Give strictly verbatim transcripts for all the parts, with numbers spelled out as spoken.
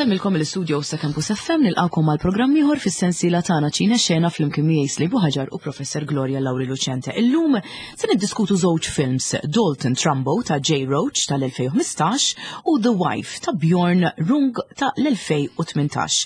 Insellmilkom mill-istudio ta' Campus F M. Nilqagħkom għal programm ieħor fis-sensiela tagħna Ċine Xena flimkien miegħi Slibu Ħaġar u Professor Gloria Lauri Lucente. Illum se niddiskutu żewġ films, Dalton Trumbo ta' Jay Roach tal-elfejn u ħmistax u The Wife ta' Bjorn Rung tal-elfejn u tmintax.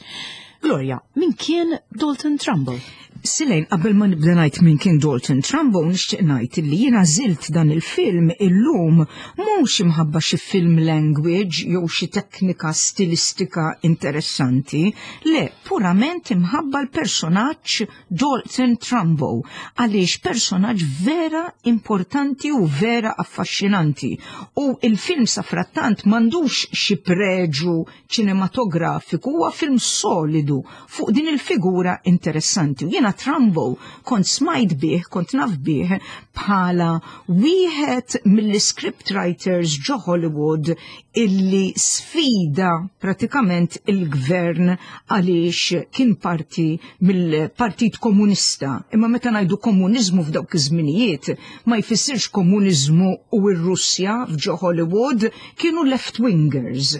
Gloria, min kien Dalton Trumbo? Silejn, qabel ma nibda ngħid min kien Dalton Trumbo, nixtieq ngħid li jiena għażilt dan il-film illum mhux imħabba xi film language jew xi teknika stilistika interessanti, le, purament imħabba l-personaġġ Dalton Trumbo, għaliex personaġġ vera importanti u vera affaxxinanti. U il-film safrattant m'għandux xi preġu ċinematografiku, huwa film solidu fuq din il-figura interessanti. U jiena Trumbo kont smajt bih, kont naf bih bħala wieħed mill-script writers ġo Hollywood illi sfida pratikament il-gvern għaliex kien parti mill-Partit Komunista. Imma meta ngħidu komuniżmu f'dawk iż-żminijiet ma jfissirx komuniżmu u r-Russja. F'ġo Hollywood kienu left-wingers.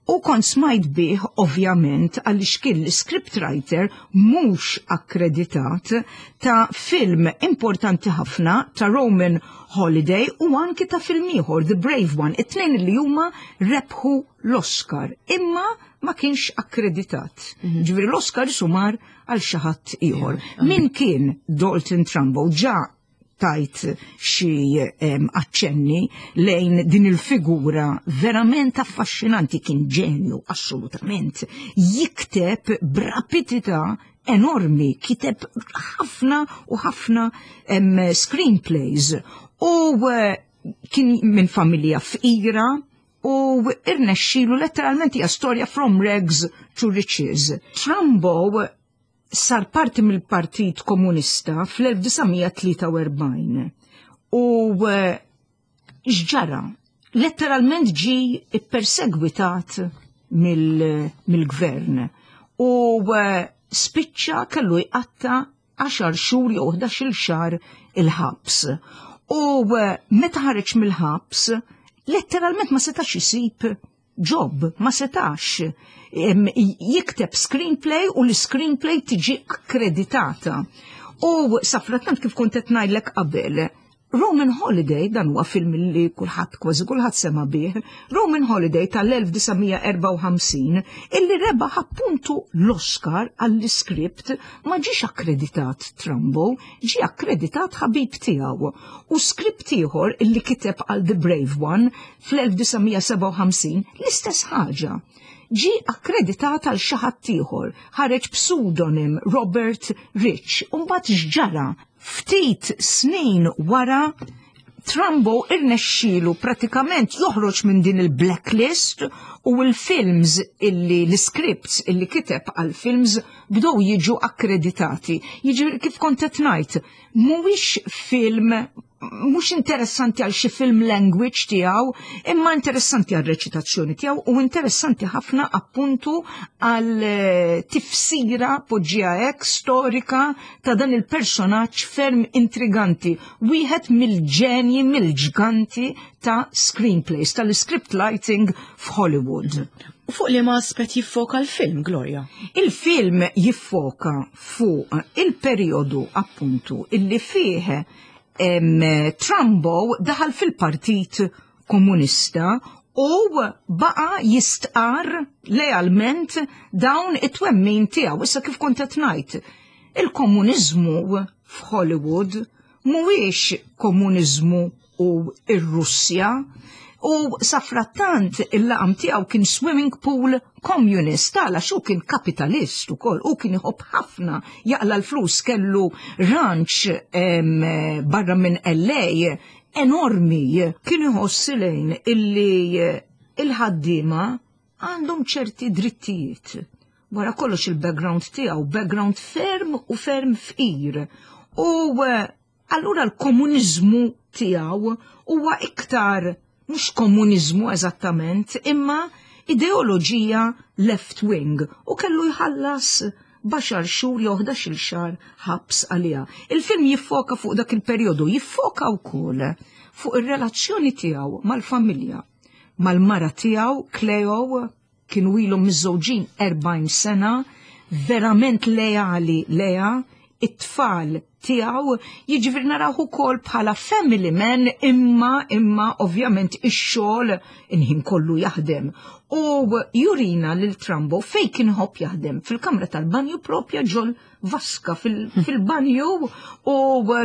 U kont smajt bih ovvjament għaliex kien l-script writer mhux akkreditat ta' film importanti ħafna ta' Roman Holiday u anki ta' film ieħor, The Brave One, it-tnejn li huma rebħu l-Oscar, imma ma kienx akkreditat. Mm -hmm. Ġifieri l-Oscar sumar għal xi ħadd ieħor. Min kien Dalton Trumbo? Ġa tajt xi aċċenni lejn din il-figura verament affaxxinanti. Kien ġenju assolutament. Jikteb b'rapidità enormi, kiteb ħafna u ħafna screenplays u eh, kien minn familja fqira u irnexxilu letteralment, hija storja from rags to riches. Trumbo sar parti mill-Partit Komunista fl-elf disa' mija tlieta u erbgħin u eh, x'ġara? Letteralment ġi perseguitat mill-gvern u eh, spiċċa kellu jqatta għaxar xhur jew ħdax-il xahar il-ħabs. U eh, meta ħareġ mill-ħabs, letteralment ma setax isib job, ma setax jikteb screenplay u l-screenplay tiġi akkreditata. U safrattant, kif kont qed ngħidlek qabel, Roman Holiday, dan huwa film li kulħadd, kważi kulħadd sema bih, Roman Holiday tal-elf disa' mija erbgħa u ħamsin, illi rebaħ appuntu l-Oscar għall-iskript, ma ġiex akkreditat Trumbo, ġie akkreditat ħabib tiegħu. U skript ieħor illi kiteb għal The Brave One fl-elf disa' mija sebgħa u ħamsin, l-istess ħaġa, ġi akkreditat għal xi ħadd ieħor, ħareġ pseudonym Robert Rich. U mbagħad x'ġara? Ftit snin wara Trumbo irnexxielu pratikament joħroġ minn din il-blacklist u l-films illi l-scripts illi kiteb għal films bdew jiġu akkreditati. Jiġi kif kont qed ngħid, mhuwiex film mhux interessanti għal xi film language tiegħu, imma interessanti għal reċitazzjoni tiegħu u interessanti ħafna appuntu għal eh, tifsira, poġġija hekk, storika ta' dan il-personaġġ ferm intriganti, wieħed mill-ġenji, mill-ġganti ta' screenplays, tal-script writing f'Hollywood. U fuq liema aspett jiffoka l-film, Gloria? Il-film jiffoka fuq il-periodu appuntu illi fih em, Trumbo daħal fil-Partit Komunista u baqa jistqar lealment dawn it-twemmin tiegħu. Issa, kif kont qed ngħid, il-komuniżmu f'Hollywood mhuwiex komuniżmu u ir-Russja, u safrattant il-laqam tiegħu kien swimming pool communist, għala xu kien kapitalist ukoll u kien iħobb ħafna jaqla l-flus, kellu ranch em, barra minn L A enormi. Kien iħoss lejn illi il-ħaddiema għandhom ċerti drittijiet. Wara kollox il-background tiegħu, background ferm u ferm fqir. U eh, allura l-komuniżmu tiegħu huwa iktar mhux komuniżmu eżattament, imma ideoloġija left wing u kellu jħallas għaxar xhur jew ħdax-il xahar ħabs għaliha. Il-film jiffoka fuq dak il-perjodu, jiffoka wkoll fuq ir-relazzjoni tiegħu mal-familja, mal-mara tiegħu Cleo. Kienu ilhom miżżewġin erbgħin sena, verament leali lejha, it-tfal tiegħu, jiġifieri naraw ukoll bħala family man, imma imma ovvjament ix-xogħol inħin kollu jaħdem. U jurina lil Trumbo fej kien iħobb jaħdem, fil-kamra tal-banju, propja ġol vaska fil-banju, u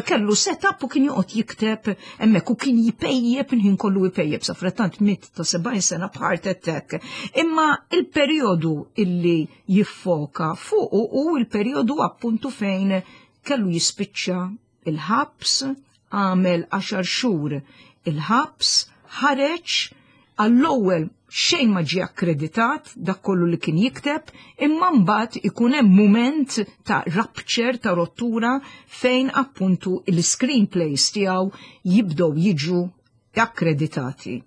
kellu setup u kien joqgħod jikteb hemmhekk u kien jpejjep, inħin kollu jpejjep, sa frattant miet ta' sebgħin sena b'heart attack. Imma il-perjodu illi jiffoka fuq u il-perjodu appuntu fejn kellu jispiċċa il-ħabs, għamel għaxar xhur il-ħabs, ħareġ, għall-ewwel xejn ma ġie akkreditat dak kollu li kien jikteb, imma mbagħad ikun hemm mument ta' rupture, ta' rottura, fejn appuntu il-screenplays tiegħu jibdew jiġu akkreditati.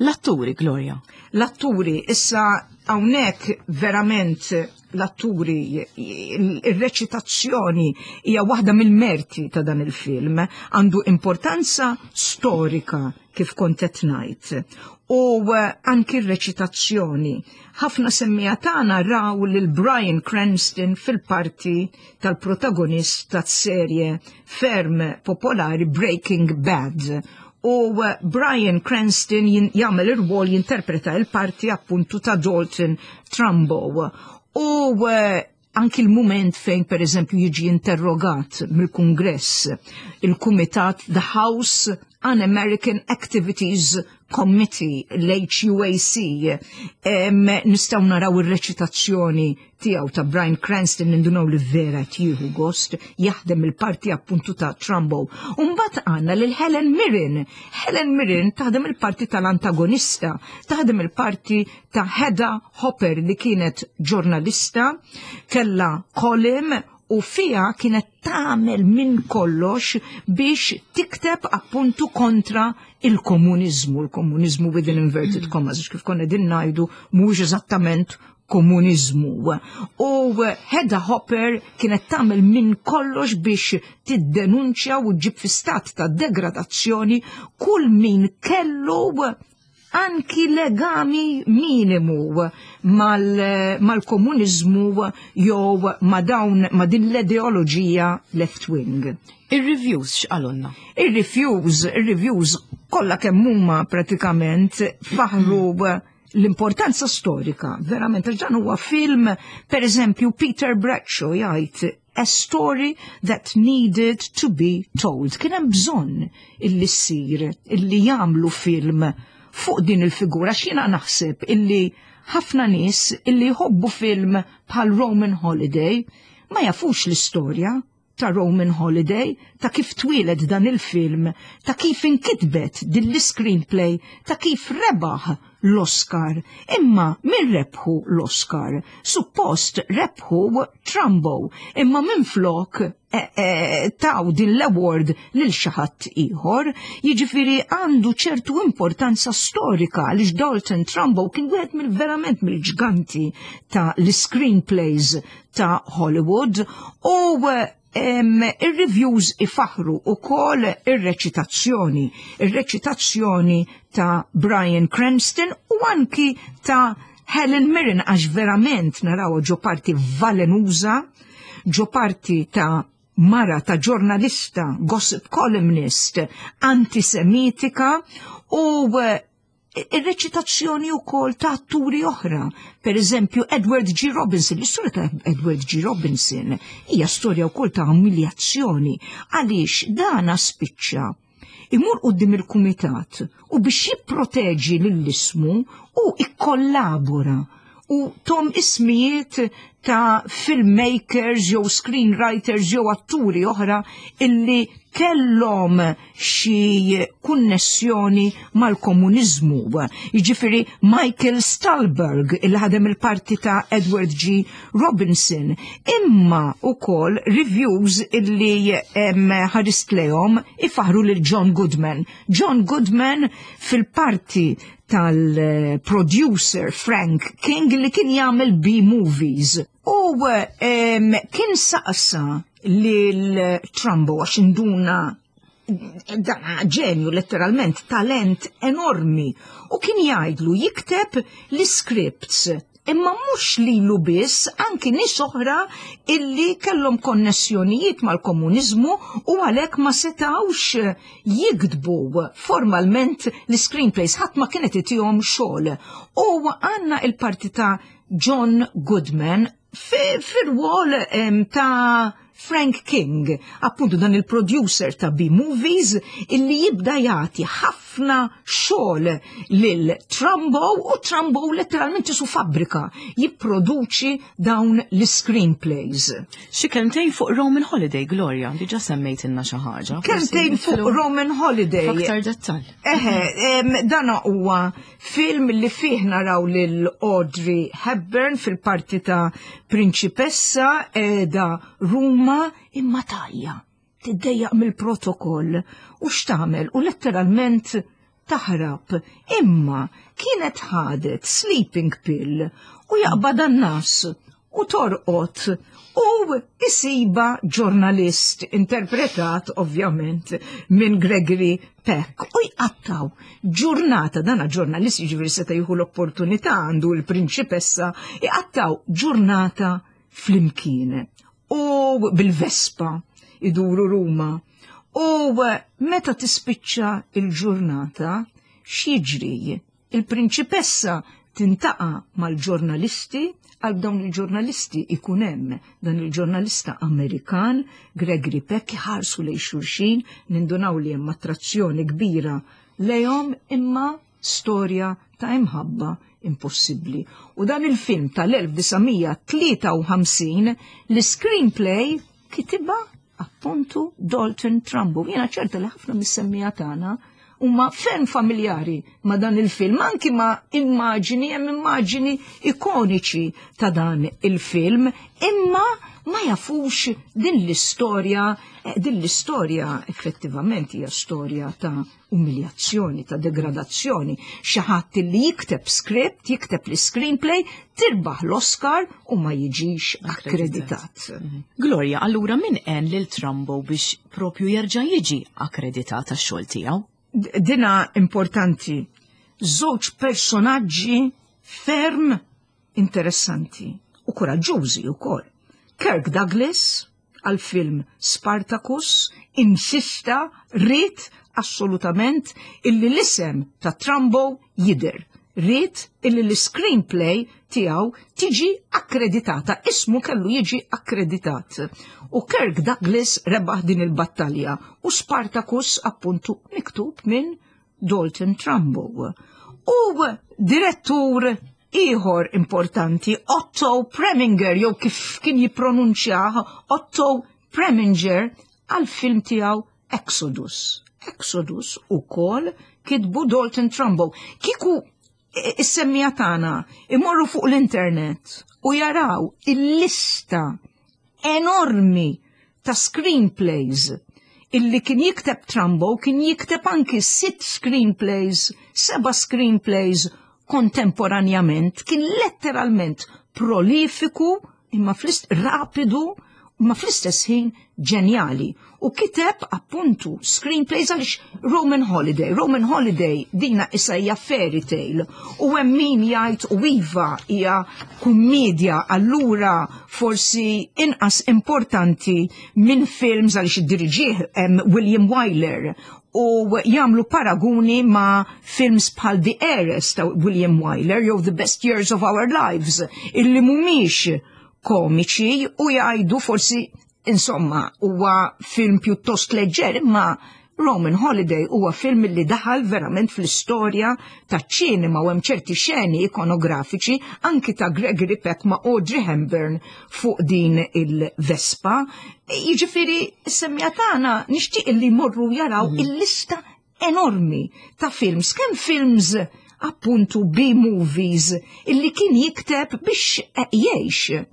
L-atturi, Gloria. L-atturi, issa hawnhekk verament l-atturi, il-reċitazzjoni hija waħda mill-merti ta' dan il-film, għandu importanza storika kif kont qed ngħid. U eh, anki r-reċitazzjoni. Ħafna semmiegħa tagħna raw lil Bryan Cranston fil-parti tal-protagonist tas-serje ferm popolari Breaking Bad. U eh, Bryan Cranston jagħmel ir-rwol, jinterpreta il-parti appuntu ta' Dalton Trumbo. U eh, anki l-moment fejn per eżempju jiġi interrogat mill-Kungress, il-Kumitat The House Un-American Activities Committee, l-H U A C, nistgħu naraw ir-reċitazzjoni tiegħu ta' Bryan Cranston, nindunaw li vera tieħu gost jaħdem il-parti appuntu ta' Trumbo. Umbagħad għandna lil Helen Mirren. Helen Mirren taħdem il-parti tal-antagonista, taħdem il-parti ta' Hedda Hopper li kienet ġurnalista, kella column u fija kienet tagħmel minn kollox biex tikteb appuntu kontra il-komunizmu, il-komunizmu within inverted commas, kif konna din ngħidu, mhux eżattament komunizmu. U Hedda Hopper kienet tagħmel minn kollox biex tiddenunċja u ġib fi stat ta' degradazzjoni kull min kellu anki legami minimu mal-komunizmu jew ma dawn ma din l-ideoloġija left wing. Ir-reviews x'qalulna? Ir-reviews, ir-reviews kollha kemm huma pratikament faħru l-importanza storika, verament, dan huwa film, per eżempju, Peter Bradshaw jgħid "a story that needed to be told". Kien hemm bżonn illi ssir, illi jagħmlu film fuq din il-figura, x'jiena naħseb illi ħafna nies illi jħobbu film bħal Roman Holiday ma jafux l-istorja ta' Roman Holiday, ta' kif twieled dan il-film, ta' kif inkitbet din l-screenplay, ta' kif rebaħ l-Oscar. Imma min rebħu l-Oscar? Suppost rebħu Trumbo, imma minn flok e, e, taw din l-award lil xi ħadd ieħor, jiġifieri għandu ċertu importanza storika għaliex Dalton Trumbo kien wieħed mill-verament mill-ġganti ta' l-screenplays ta' Hollywood u il-reviews ifaħru ukoll ir-reċitazzjoni, ir-reċitazzjoni ta' Bryan Cranston u anki ta' Helen Mirren, għax verament naraw ġo parti velenuża, ġo parti ta' mara ta' ġurnalista, gossip columnist, antisemitika u ir-reċitazzjoni wkoll ta' atturi oħra. Per eżempju, Edward G. Robinson. L-istorja ta' Edward G. Robinson hija storja wkoll ta' umiljazzjoni għaliex dana spiċċa imur quddiem il-kumitat u biex jipproteġi lill-ismu u ikkollabora u tahom ismijiet ta' filmmakers jew screenwriters jew atturi oħra illi kellhom xi kunnessjoni mal-komuniżmu. Jiġifieri Michael Stuhlbarg il ħadem il-parti ta' Edward G. Robinson. Imma ukoll reviews illi ħarist lejhom ifaħru lil John Goodman. John Goodman fil-parti tal-producer Frank King li kien jagħmel B-movies. U um, kien saqsa lil Trumbo, għax induna dan ġenju letteralment, talent enormi, u kien jgħidlu jikteb l-scripts. Imma mhux lilu biss, anki nies oħra illi kellhom konnessjonijiet mal-komuniżmu u għalhekk ma setawx jiktbu formalment l-screenplays, ħadd ma kienet itihom xogħol. U għandna il-parti ta' John Goodman fir-rwol ta' Frank King, appuntu dan il-producer ta' B-Movies, illi jibda jagħti ħafna xogħol lil Trumbo, u Trumbo letteralment qisu fabbrika jipproduċi dawn l-screenplays. Xi kelmtejn fuq Roman Holiday, Gloria, diġà semmejtilna xi ħaġa. Kelmtejn fuq Roman Holiday. F'aktar dettall. Eħe, dan huwa film li fih naraw lil Audrey Hepburn fil-parti ta' prinċipessa qiegħda Ruma, imma tajja, tiddejjaq mill-protokoll u x'tagħmel, u letteralment taħrab. Imma kienet ħadet sleeping pill u jaqbadha n-ngħas u torqod u isibha ġurnalist interpretat ovvjament minn Gregory Peck u jqattaw ġurnata, dana ġurnalist, jiġifieri seta' jieħu l-opportunità għandu l-prinċipessa, jqattaw ġurnata flimkien u bil-Vespa iduru Ruma, u meta tispiċċa il-ġurnata x'jiġri? Il-prinċipessa tiltaqa' mal-ġurnalisti, għal dawn il-ġurnalisti ikun hemm dan il-ġurnalista Amerikan Gregory Peck, ħarsu lejn xulxin, nindunaw li hemm attrazzjoni kbira lejhom, imma storja ta' imħabba impossibbli. U dan il-film tal-elf disa' mija tlieta u ħamsin, l-screenplay kitibha appuntu Dalton Trumbo. Jiena ċerta li ħafna mis-semmiegħa tagħna huma ferm familjari ma' dan il-film, anki ma' immaġini, hemm immaġini ikoniċi ta' dan il-film, imma ma jafux din l-istorja, eh, din l-istorja effettivament hija storja ta' umiljazzjoni, ta' degradazzjoni. Xi ħadd li jikteb script, jikteb l-screenplay, tirbaħ l-Oscar u ma jiġix akkreditat. Mhm. Gloria, allura min għen lil Trumbo biex propju jerġa' jiġi akkreditat għax-xogħol tiegħu? Dina importanti. Żewġ personaġġi ferm interessanti u koraġġużi wkoll. Kirk Douglas għal film Spartacus insista, ried assolutament illi l-isem ta' Trumbo jidher. Ried illi l-screenplay tiegħu tiġi akkreditata, ismu kellu jiġi akkreditat. U Kirk Douglas rebaħ din il-battalja u Spartacus appuntu miktub minn Dalton Trumbo. U direttur ieħor importanti, Otto Preminger, jew kif kien jippronunċjah Otto Preminger, għal film tiegħu Exodus. Exodus ukoll kitbu Dalton Trumbo. Kieku is-semmiegħa tagħna imorru fuq l-internet u jaraw il-lista enormi ta' screenplays illi kien jikteb Trumbo, kien jikteb anki sitt screenplays, seba' screenplays kontemporanjament, kien letteralment prolifiku, imma flist rapidu, imma fl-istess ħin ġenjali. U kiteb appuntu screenplays għaliex Roman Holiday. Roman Holiday dina issa hija fairy tale. U hemm min jgħid u iva, hija kummedja, allura forsi inqas importanti minn films għaliex iddiriġih William Wyler u jagħmlu paraguni ma' films bħal The Heiress ta' William Wyler jew The Best Years of Our Lives, illi mhumiex komiċi, u jgħidu forsi insomma huwa film pjuttost leġġer, imma Roman Holiday huwa film li daħal verament fl-istorja ta' ċinema u hemm ċerti xeni ikonografiċi anki ta' Gregory Peck ma' Audrey Hepburn fuq din il-Vespa. Jiġifieri s-semmiegħa tagħna nixtieq li jmorru jaraw mm. il-lista enormi ta' films, kemm films appuntu B-movies illi kien jikteb biex jgħix.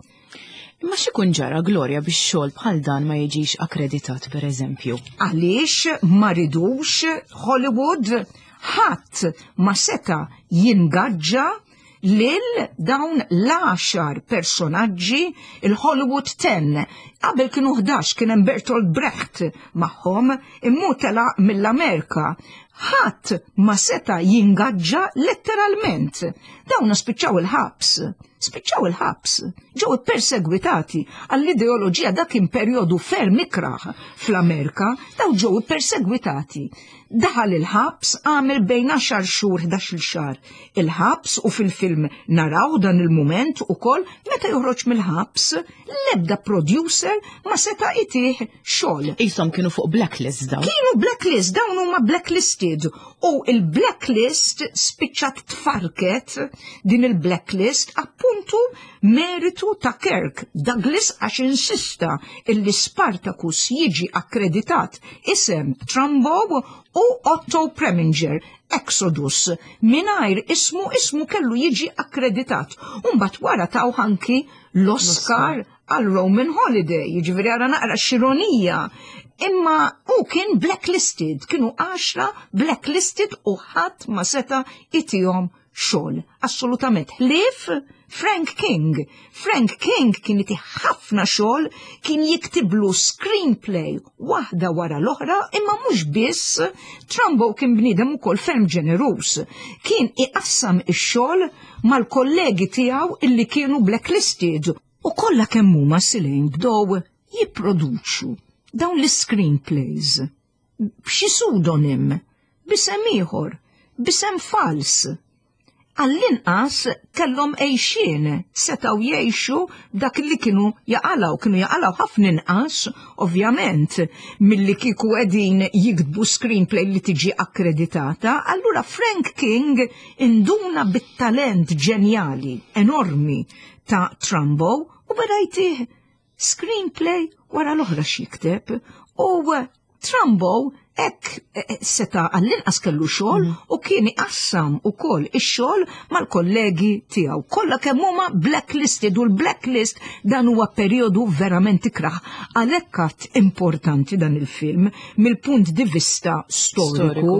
Imma x'ikun ġara, Gloria, biex xogħol bħal dan ma jiġix akkreditat, per eżempju? Għaliex ma ridux Hollywood, ħadd ma seta jingaġġa lil dawn l-għaxar personaġġi, il-Hollywood Ten. Qabel kienu ħdax, kien hemm Bertolt Brecht magħhom, imma telaq mill-Amerika. Ħadd ma seta jingaġġa letteralment. Dawn spiċċaw il-ħabs. Spiċċaw il-ħabs, ġew ippersegwitati għall-ideoloġija. Dak kien perjodu ferm ikraħ fl-Amerika, daw ġew ippersegwitati. Daħal il-ħabs, għamel bejn għaxar xhur, ħdax-il xahar il-ħabs, u fil-film naraw dan il-mument ukoll meta joħroġ mill-ħabs, l-ebda producer ma seta' itih xogħol. Qishom kienu fuq blacklist dawn. Kienu blacklist, dawn huma blacklisted, u il-blacklist spiċċat tfarket din il-blacklist appuntu meritu ta' Kirk Douglas, għax insista illi Spartacus jiġi akkreditat isem Trumbo u Otto Preminger. Exodus mingħajr ismu, ismu kellu jiġi akkreditat. Umbat wara taw anki l-Oscar għal Roman Holiday, jiġifieri għara naqra x'ironija. Imma u kien blacklisted, kienu għaxra blacklisted u ħadd ma seta' itihom xogħol. Assolutament. Ħlief Frank King. Frank King kien itih ħafna xogħol, kien jiktiblu screenplay waħda wara l-oħra, imma mhux biss, Trumbo kien bniedem ukoll ferm ġeneruż. Kien iqassam ix-xogħol mal-kollegi tiegħu illi kienu blacklisted. U kollha kemm huma silejn bdew jipproduċu dawn l-screenplays b'xi pseudonym, b'isem ieħor, b'isem fals. Għall-inqas kellhom għejxien, setgħu jgħixu dak li kienu jaqalaw, kienu jaqalaw ħafna inqas, ovvjament, milli kieku qegħdin jiktbu screenplay li tiġi akkreditata. Allura Frank King induna bit-talent ġenjali, enormi ta' Trumbo u beda jtih screenplay wara l-oħra x'jikteb, u Trumbo hekk eh, seta' għall-inqas kellu xogħol u kien iqassam ukoll ix-xogħol mal-kollegi tiegħu. Kollha kemm huma blacklisted, u l-blacklist dan huwa perjodu verament ikraħ. Għalhekk għad importanti dan il-film mill-punt di vista storiku,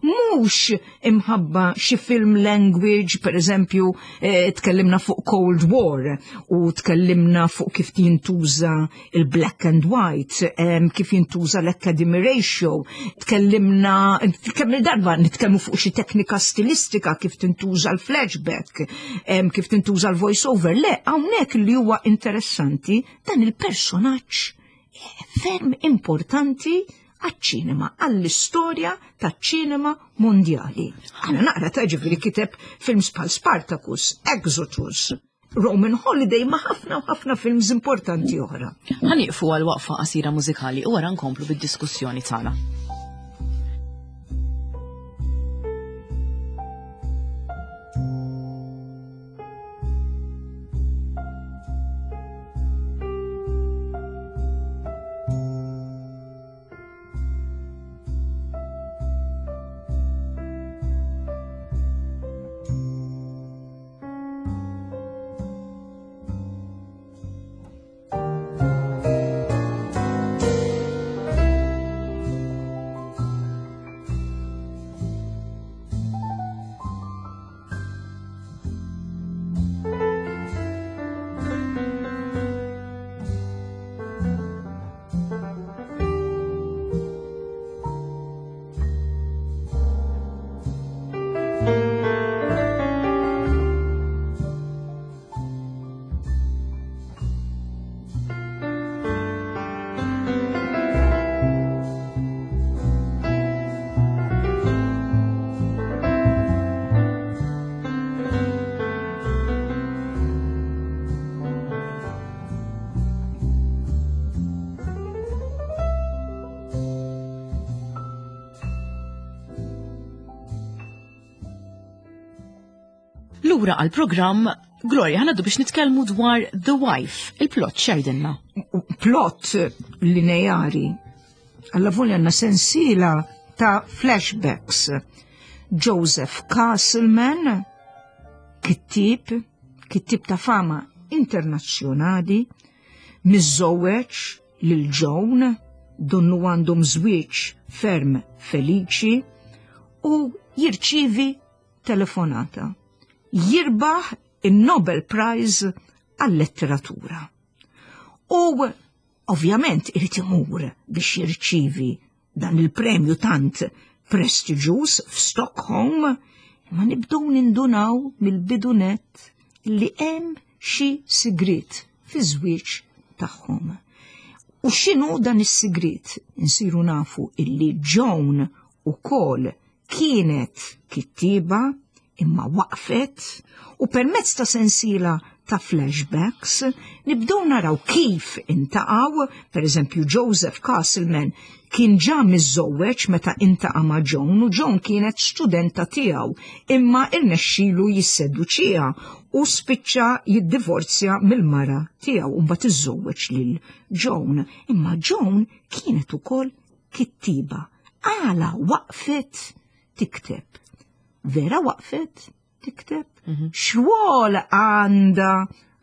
mhux imħabba xi film language, per eżempju, eh, tkellimna fuq Cold War u tkellimna fuq kif jintuża il-black and white, em, kif jintuża l-Academy Ratio, tkellimna, kemm il-darba nitkellmu fuq xi teknika stilistika, kif tintuża l-flashback, em, kif tintuża l-voice over. Le, hawnhekk li huwa interessanti dan il-personaġġ ferm importanti għaċ-ċinema, għall-istorja taċ-ċinema mondjali. Għana naqra ta' ġifieri kiteb films bħal Spartacus, Exodus, Roman Holiday, ma ħafna u ħafna films importanti oħra. Ħa nieqfu għal waqfa qasira mużikali u wara nkomplu bid-diskussjoni tagħna. Lura għal-programm, Gloria, ħa ngħaddu biex nitkellmu dwar The Wife, il-plot x'jgħidilna. Plot lineari. Alla volja għandna sensiela ta' flashbacks. Joseph Castleman, kittib, kittib ta' fama internazzjonali, miżżewweġ lil Joan, donnu għandhom żwieġ ferm feliċi, u jirċivi telefonata. Jirbaħ il-Nobel Prize għal-letteratura. U ovvjament irid imur biex jirċivi dan il-premju tant prestiġjuż f'Stockholm, imma nibdew nindunaw mill-bidunet li hemm xi sigriet fiż-żwieġ tagħhom. U x'inhu dan is-sigriet? Insiru nafu illi Joan ukoll kienet kittiba imma waqfet u permezz ta' sensiela ta' flashbacks nibdew naraw kif iltaqgħu, per eżempju Joseph Castleman kien ġa miżżewweġ meta iltaqa' ma' Joan u Joan kienet studenta tiegħu imma irnexxielu jisseduċiha u spiċċa jiddivorzja mill-mara tiegħu u mbagħad iżżewweġ lil Joan. Imma Joan kienet ukoll kittiba. Għala waqfet tikteb. Vera waqfet tikteb? X'rwol għandha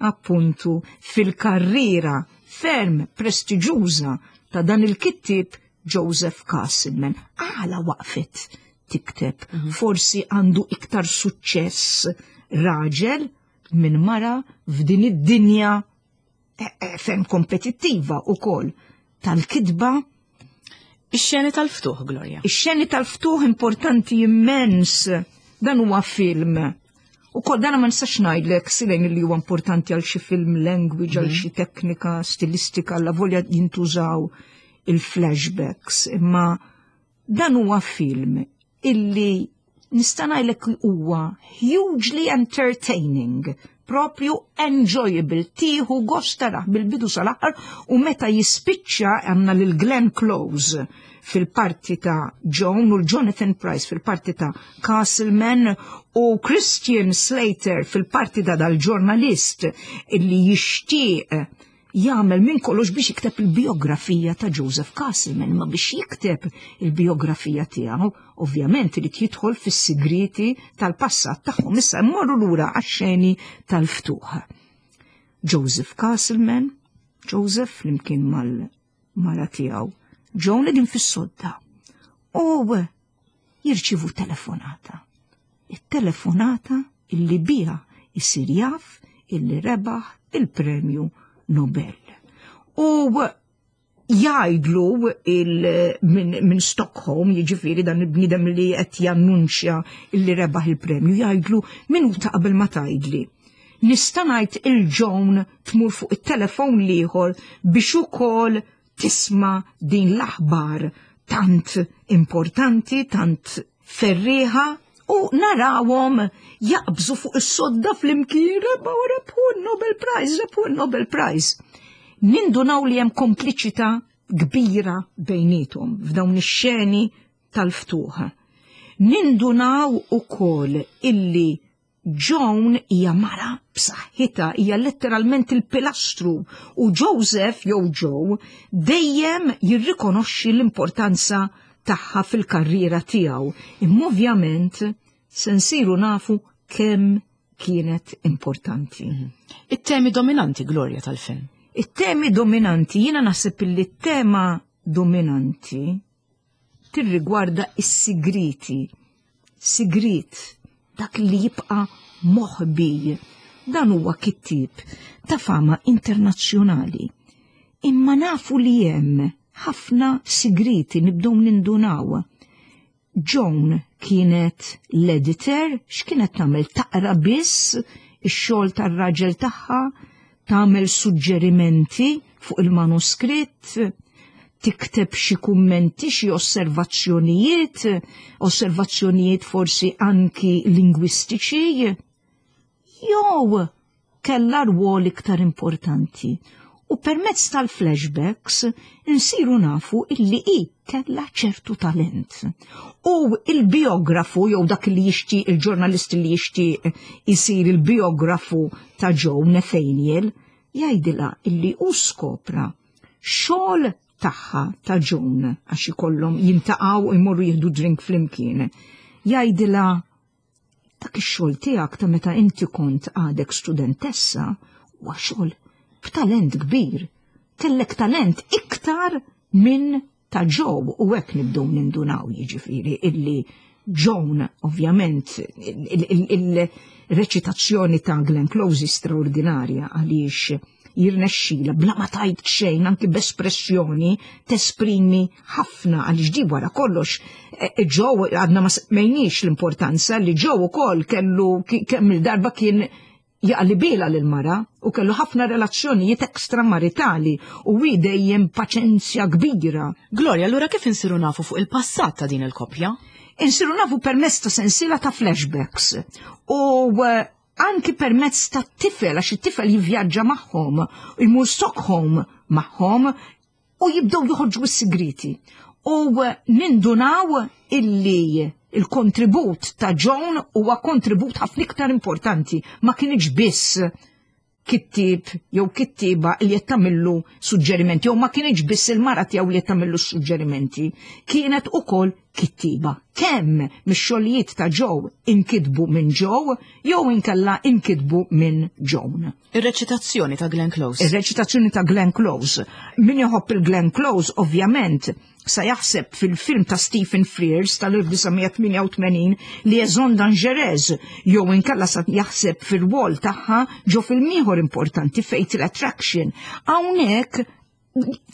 appuntu fil-karriera ferm prestiġuża ta' dan il-kittib Joseph Castleman. Għala waqfet tikteb. Forsi għandu iktar suċċess raġel minn mara f'din id-dinja eh, eh, ferm kompetittiva ukoll tal-kitba. Ix-xeni tal-ftuħ, Gloria. Ix-xeni tal-ftuħ importanti immens. Dan huwa film. U kol dan ma nistax ngħidlek silejn li huwa importanti għal xi film language, għal xi teknika stilistika, la volja jintużaw il-flashbacks, imma dan huwa film illi nista' ngħidlek huwa hugely entertaining, propju enjoyable, tieħu gost tarah bil-bidu sal-aħħar u meta jispiċċa għandna lil Glenn Close fil-parti ta' Joan u l-Jonathan Pryce fil-parti ta' Castleman u Christian Slater fil-parti ta' dal-ġurnalist illi jixtieq jagħmel minn kollox biex jikteb il-biografija ta' Joseph Castleman, ma biex jikteb il-biografija tiegħu, ovvjament irid jidħol fis-sigriti tal-passat tagħhom. Issa mmorru lura għax-xeni tal-ftuħ. Joseph Castleman, Joseph flimkien mal-mara tiegħu, Joan qegħdin fis-sodda. U jirċivu telefonata. Il-telefonata illi biha isir jaf illi rebaħ il-premju Nobel. U jgħidlu minn min Stockholm, jiġifieri dan il-bniedem li qed jannunċja illi rebaħ il-premju, jgħidlu minuta qabel ma tgħidli. Nista' ngħid lil Joan tmur fuq it-telefon l-ieħor biex ukoll tisma' din l-aħbar tant importanti, tant ferriħa, u narawhom jaqbżu fuq is-sodda flimkien rebħu rebħu Nobel Prize, rebħu Nobel Prize. Nindunaw li hemm kompliċità kbira bejnietom f'dawn ix-xeni tal-ftuħ. Nindunaw ukoll illi Joan hija mara b'saħħitha, hija letteralment il-pilastru u Joseph jew Joe dejjem jirrikonoxxi l-importanza tagħha fil-karriera tiegħu. Imma ovvjament se nsiru nafu kemm kienet importanti. It-temi dominanti, Gloria, tal-film. It-temi dominanti, jiena naħseb li t-tema dominanti tirrigwarda is-sigriti. Sigrit, dak li jibqa' moħbi. Dan huwa kittib ta' fama internazzjonali. Imma nafu li hemm ħafna sigriti nibdew nindunaw. Joan kienet l-editor, x'kienet tagħmel taqra biss ix-xogħol tar-raġel tagħha, tagħmel suġġerimenti fuq il-manuskritt, tikteb xi kummenti, xi osservazzjonijiet, osservazzjonijiet forsi anki lingwistiċi, jew kellha rwol iktar importanti. U permezz tal-flashbacks insiru nafu illi i kella ċertu talent. U il-biografu, jew dak li jixtieq, il-ġurnalist li jixtieq isir il-biografu ta' Joe Nathaniel, jgħidilha illi u skopra xogħol tagħha ta' Joan għax ikollhom jiltaqgħu u jmorru jieħdu drink flimkien. Jgħidilha dak ix-xogħol tiegħek ta' meta inti kont għadek studentessa huwa xogħol b'talent kbir. Kellek talent iktar minn ta' Joe u hekk nibdew nindunaw jiġifieri illi Joan ovvjament il-reċitazzjoni ta' Glenn Close straordinarja għaliex jirnexxila bla ma tajt xejn anki b'espressjoni tesprimi ħafna għaliex di wara kollox Joe għadna ma semmejniex l-importanza li Joe ukoll kellu kemm il-darba kien Jaqlibilha lil-mara u kellu ħafna relazzjonijiet ekstramaritali u hi dejjem paċenzja kbira. Gloria, allura kif insiru nafu fuq il-passat ta' din il-koppja? Insiru nafu permezz ta' sensiela ta' flashbacks u eh, anki permezz ta' tifel, għax it-tifel jivvjaġġa magħhom, imur Stockholm magħhom u jibdew joħorġu s-sigriti. U eh, nindunaw illi il-kontribut ta' Joan huwa kontribut ħafna iktar importanti, ma kienx biss kittib jew kittiba li qed tagħmillu suġġerimenti jew ma kienx biss il-mara tiegħu li qed tagħmillu suġġerimenti, kienet ukoll kittiba. Kemm mix-xogħlijiet ta' Joe inkitbu minn Joe jew inkella inkitbu minn Joan. Ir-reċitazzjoni ta' Glenn Close. Ir-reċitazzjoni ta' Glenn Close. Min joħobb il-Glenn Close, ovvjament, sa jaħseb fil-film ta' Stephen Frears tal-elf disa' mija tmienja u tmenin Liaison Dangereuse, jew inkella sa jaħseb fil-rwol tagħha ġo film ieħor importanti, Fatal Attraction. Hawnhekk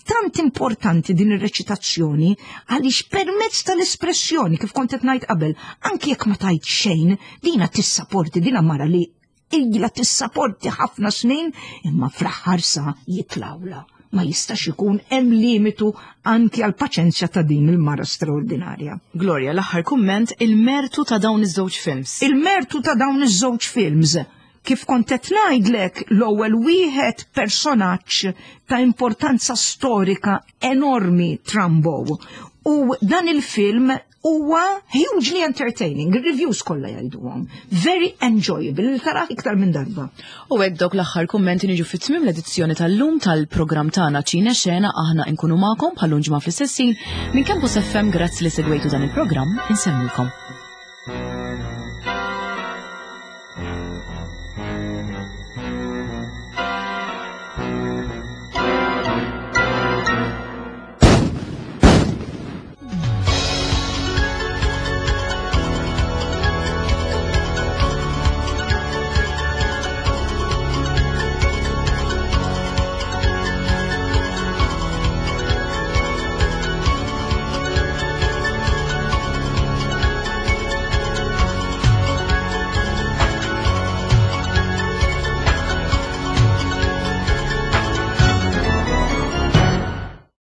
tant importanti din ir-reċitazzjoni għaliex permezz tal-espressjoni, kif kont qed ngħid qabel, anki jekk ma tajt xejn, dina tissaporti, dina mara li ilha tissaporti ħafna snin, imma fl-aħħar sa jitlawla. Ma jistax ikun hemm limitu anki għal paċenzja ta' din il-mara straordinarja. Gloria, l-aħħar kumment, il-mertu ta' dawn iż-żewġ films. Il-mertu ta' dawn iż-żewġ films. Kif kont qed ngħidlek, l-ewwel wieħed personaġġ ta' importanza storika enormi, Trumbo. U dan il-film huwa hugely entertaining, il-reviews kollha jgħiduhom. Very enjoyable, li tarah iktar minn darba. U hekk dawk l-aħħar kummenti niġu fit-tmiem l-edizzjoni tal-lum tal-programm tagħna Ċine Xena. Aħna nkunu magħkom bħal ġimgħa fl-istess ħin minn Campus F M. Grazzi li segwejtu dan il-programm, insellmilkom.